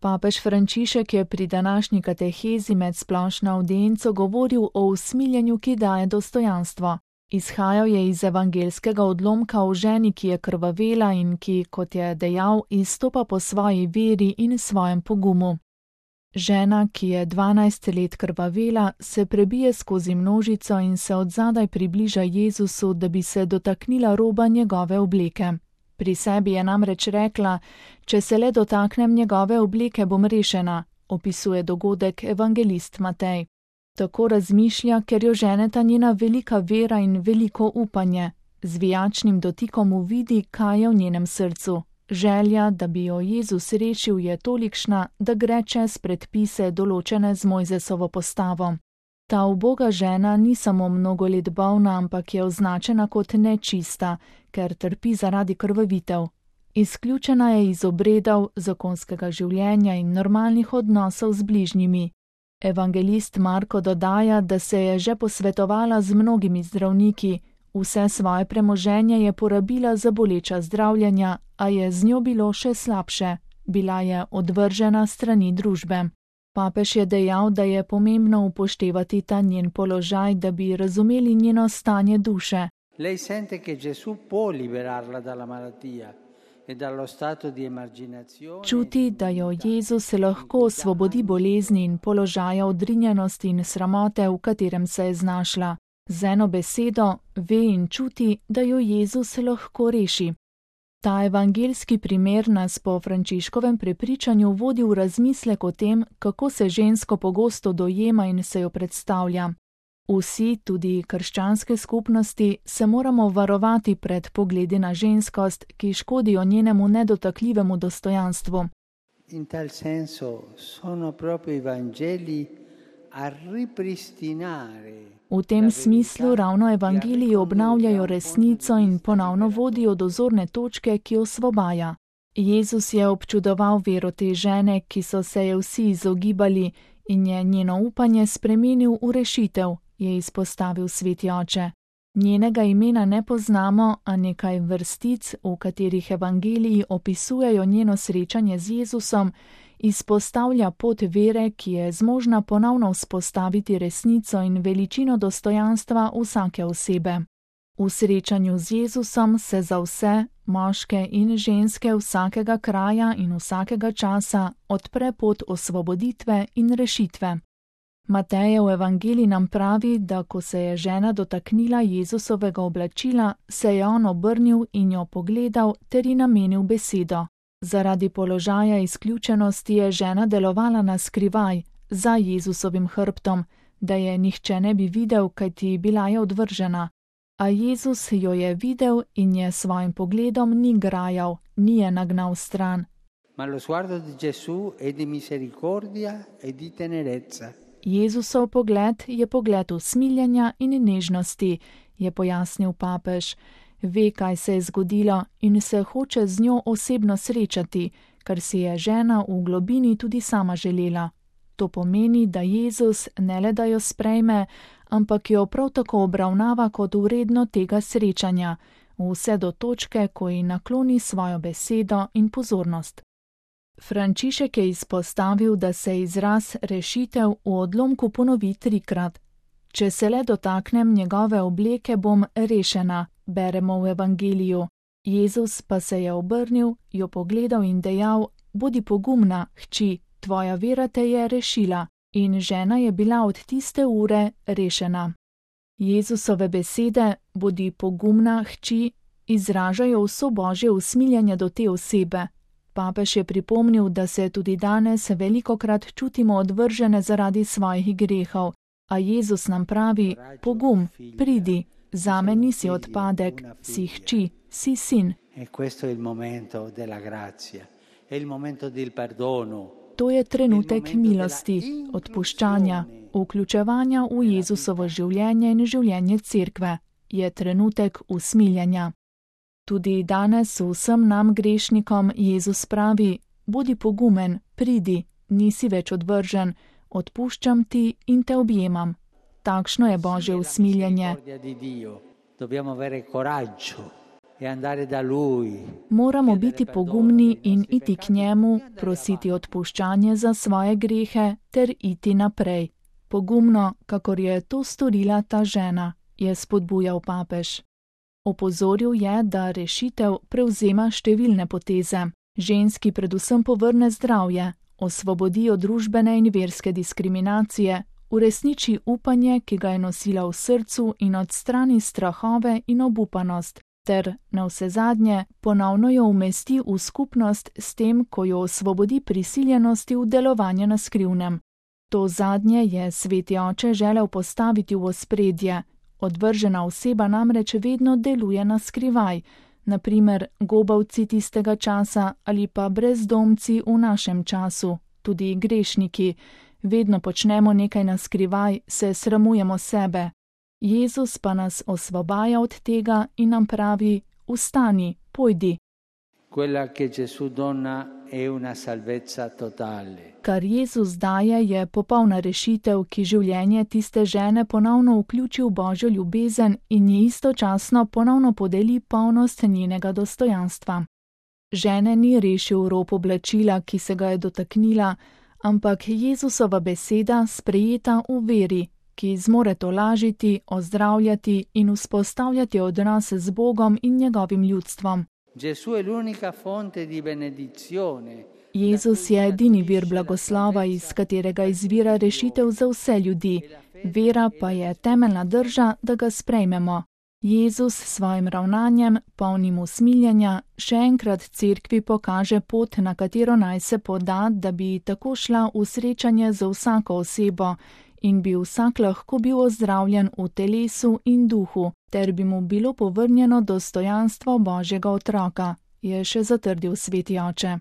Papež Frančišek je pri današnji katehezi med splošno avdienco govoril o usmiljenju, ki daje dostojanstvo. Izhajal je iz evangelskega odlomka o ženi, ki je krvavela in ki, kot je dejal, izstopa po svoji veri in svojem pogumu. Žena, ki je 12 let krvavela, se prebije skozi množico in se odzadaj približa Jezusu, da bi se dotaknila roba njegove obleke. Pri sebi je namreč rekla: če se le dotaknem njegove obleke, bom rešena, opisuje dogodek evangelist Matej. Tako razmišlja, ker jo ženeta njena velika vera in veliko upanje. Z vijačnim dotikom uvidi, kaj je v njenem srcu. Želja, da bi jo Jezus rešil, je tolikšna, da gre čez predpise določene z Mojzesovo postavo. Ta uboga žena ni samo mnogo let bolna, ampak je označena kot nečista, ker trpi zaradi krvavitev. Izključena je iz obredov, zakonskega življenja in normalnih odnosov z bližnjimi. Evangelist Marko dodaja, da se je že posvetovala z mnogimi zdravniki, vse svoje premoženje je porabila za boleča zdravljenja, a je z njo bilo še slabše, bila je odvržena strani družbe. Papež je dejal, da je pomembno upoštevati ta njen položaj, da bi razumeli njeno stanje duše. Lei sente che Gesù può liberarla dalla malattia e dallo stato di emarginazione. Čuti, da jo Jezus lahko osvobodi bolezni in položaja odrinjenosti in sramote, v katerem se je znašla. Z eno besedo ve in čuti, da jo Jezus lahko reši. Ta evangelski primer nas po Frančiškovem prepričanju vodi v razmislek o tem, kako se žensko pogosto dojema in se jo predstavlja. Vsi, tudi krščanske skupnosti, se moramo varovati pred pogledi na ženskost, ki škodijo njenemu nedotakljivemu dostojanstvu. In tal senso sono proprio i Vangeli a ripristinare. V tem smislu ravno evangeliji obnavljajo resnico in ponovno vodijo do zorne točke, ki osvobaja. Jezus je občudoval vero te žene, ki so se je vsi izogibali, in je njeno upanje spremenil v rešitev, je izpostavil sveti oče. Njenega imena ne poznamo, a nekaj vrstic, v katerih evangeliji opisujejo njeno srečanje z Jezusom, izpostavlja pot vere, ki je zmožna ponovno vzpostaviti resnico in veličino dostojanstva vsake osebe. V srečanju z Jezusom se za vse, moške in ženske vsakega kraja in vsakega časa odpre pot osvoboditve in rešitve. Matejev evangelij nam pravi, da ko se je žena dotaknila Jezusovega oblačila, se je on obrnil in jo pogledal ter ji namenil besedo. Zaradi položaja izključenosti je žena delovala na skrivaj, za Jezusovim hrbtom, da je nihče ne bi videl, kajti bila je odvržena. A Jezus jo je videl in je svojim pogledom ni grajal, ni je nagnal stran. Ma lo sguardo di Gesù è di misericordia e di tenerezza. Jezusov pogled je pogled usmiljenja in nežnosti, je pojasnil papež. Ve, kaj se je zgodilo in se hoče z njo osebno srečati, kar si je žena v globini tudi sama želela. To pomeni, da Jezus ne le da jo sprejme, ampak jo prav tako obravnava kot vredno tega srečanja, vse do točke, ko ji nakloni svojo besedo in pozornost. Frančišek je izpostavil, da se izraz rešitev v odlomku ponovi 3-krat. Če se le dotaknem njegove obleke, bom rešena, beremo v evangeliju. Jezus pa se je obrnil, jo pogledal in dejal: bodi pogumna, hči, tvoja vera te je rešila. In žena je bila od tiste ure rešena. Jezusove besede, bodi pogumna, hči, izražajo vso Božje usmiljenje do te osebe. Papež je pripomnil, da se tudi danes velikokrat čutimo odvržene zaradi svojih grehov, a Jezus nam pravi: pogum, pridi, zame nisi odpadek, si hči, si sin. To je trenutek milosti, odpuščanja, vključevanja v Jezusovo življenje in življenje cerkve, je trenutek usmiljenja. Tudi danes vsem nam grešnikom Jezus pravi: bodi pogumen, pridi, nisi več odvržen, odpuščam ti in te objemam. Takšno je Božje usmiljenje. e andare da Lui. Moramo biti pogumni in iti k njemu, prositi odpuščanje za svoje grehe ter iti naprej. Pogumno, kakor je to storila ta žena, je spodbujal papež. Opozoril je, da rešitev prevzema številne poteze. Ženski predvsem povrne zdravje, osvobodi od družbene in verske diskriminacije, uresniči upanje, ki ga je nosila v srcu in odstrani strahove in obupanost, ter navsezadnje ponovno jo umesti v skupnost s tem, ko jo osvobodi prisiljenosti v delovanje na skrivnem. To zadnje je sveti oče želel postaviti v ospredje. Odvržena oseba namreč vedno deluje na skrivaj, na primer gobavci tistega časa ali pa brezdomci v našem času, tudi grešniki. Vedno počnemo nekaj na skrivaj, se sramujemo sebe. Jezus pa nas osvobaja od tega in nam pravi: vstani, pojdi. Quella che Gesù dona è una salvezza totale. Kar Jezus daje, je popolna rešitev, ki življenje tiste žene ponovno vključi v Božjo ljubezen in ji istočasno ponovno podeli polnost njenega dostojanstva. Žene ni rešil rop oblačila, ki se ga je dotaknila, ampak Jezusova beseda sprejeta v veri, ki zmore tolažiti, ozdravljati in vzpostavljati odnose z Bogom in njegovim ljudstvom. Jezus je edini vir blagoslova, iz katerega izvira rešitev za vse ljudi. Vera pa je temeljna drža, da ga sprejmemo. Jezus s svojim ravnanjem, polnim usmiljenja, še enkrat cerkvi pokaže pot, na katero naj se poda, da bi tako šla v srečanje z vsako osebo in bi vsak lahko bil ozdravljen v telesu in duhu, ter bi mu bilo povrnjeno dostojanstvo Božjega otroka, je še zatrdil sveti oče.